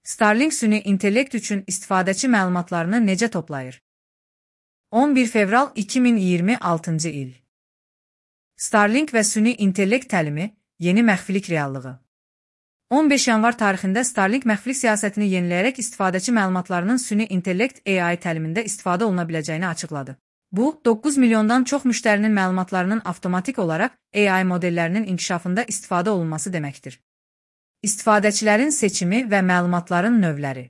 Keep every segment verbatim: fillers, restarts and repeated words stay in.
Starlink süni intellekt üçün istifadəçi məlumatlarını necə toplayır? on bir fevral iki min iyirmi altıncı il. Starlink və süni intellekt təlimi, yeni məxfilik reallığı. on beş yanvar tarixində Starlink məxfilik siyasətini yeniləyərək istifadəçi məlumatlarının süni intellekt A I təlimində istifadə oluna biləcəyini açıqladı. Bu, doqquz milyondan çox müştərinin məlumatlarının avtomatik olaraq A I modellərinin inkişafında istifadə olunması deməkdir. İstifadəçilərin seçimi və məlumatların növləri.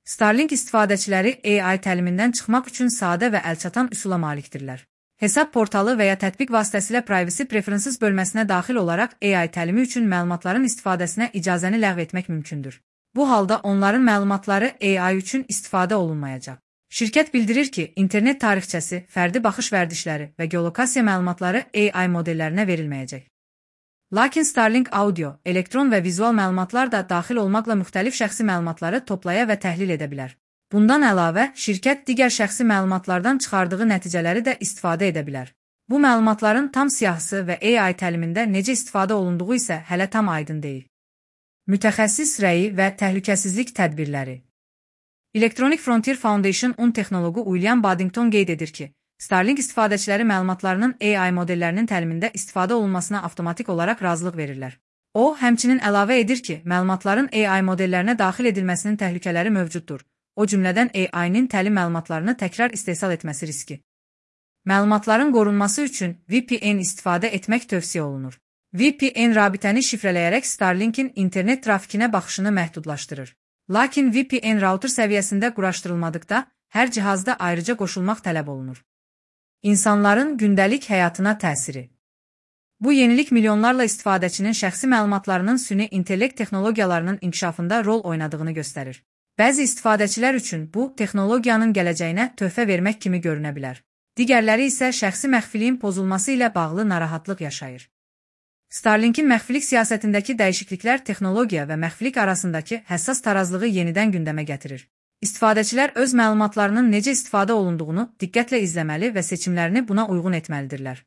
Starlink istifadəçiləri A I təlimindən çıxmaq üçün sadə və əlçatan üsula malikdirlər. Hesab portalı və ya tətbiq vasitəsilə Privacy Preferences bölməsinə daxil olaraq A I təlimi üçün məlumatların istifadəsinə icazəni ləğv etmək mümkündür. Bu halda onların məlumatları A I üçün istifadə olunmayacaq. Şirkət bildirir ki, internet tarixçəsi, fərdi baxış vərdişləri və geolokasiya məlumatları A I modellərinə verilməyəcək. Lakin Starlink audio, elektron və vizual məlumatlar da daxil olmaqla müxtəlif şəxsi məlumatları toplaya və təhlil edə bilər. Bundan əlavə, şirkət digər şəxsi məlumatlardan çıxardığı nəticələri də istifadə edə bilər. Bu məlumatların tam siyahısı və A I təlimində necə istifadə olunduğu isə hələ tam aydın deyil. Mütəxəssis rəyi və təhlükəsizlik tədbirləri. Electronic Frontier Foundation-un texnoloqu William Baddington qeyd edir ki, Starlink istifadəçiləri məlumatlarının A I modellərinin təlimində istifadə olunmasına avtomatik olaraq razılıq verirlər. O, həmçinin əlavə edir ki, məlumatların A I modellərinə daxil edilməsinin təhlükələri mövcuddur. O cümlədən A I-nin təlim məlumatlarını təkrar istehsal etməsi riski. Məlumatların qorunması üçün V P N istifadə etmək tövsiyə olunur. V P N rabitəni şifrələyərək Starlink'in internet trafikinə baxışını məhdudlaşdırır. Lakin V P N router səviyyəsində quraşdırılmadıqda, hər cihazda ayrıca qoşulmaq tələb olunur. İnsanların gündəlik həyatına təsiri. Bu yenilik milyonlarla istifadəçinin şəxsi məlumatlarının süni intellekt texnologiyalarının inkişafında rol oynadığını göstərir. Bəzi istifadəçilər üçün bu, texnologiyanın gələcəyinə töhfə vermək kimi görünə bilər. Digərləri isə şəxsi məxfiliyin pozulması ilə bağlı narahatlıq yaşayır. Starlink'in məxfilik siyasətindəki dəyişikliklər texnologiya və məxfilik arasındakı həssas tarazlığı yenidən gündəmə gətirir. İstifadəçilər öz məlumatlarının necə istifadə olunduğunu diqqətlə izləməli və seçimlərini buna uyğun etməlidirlər.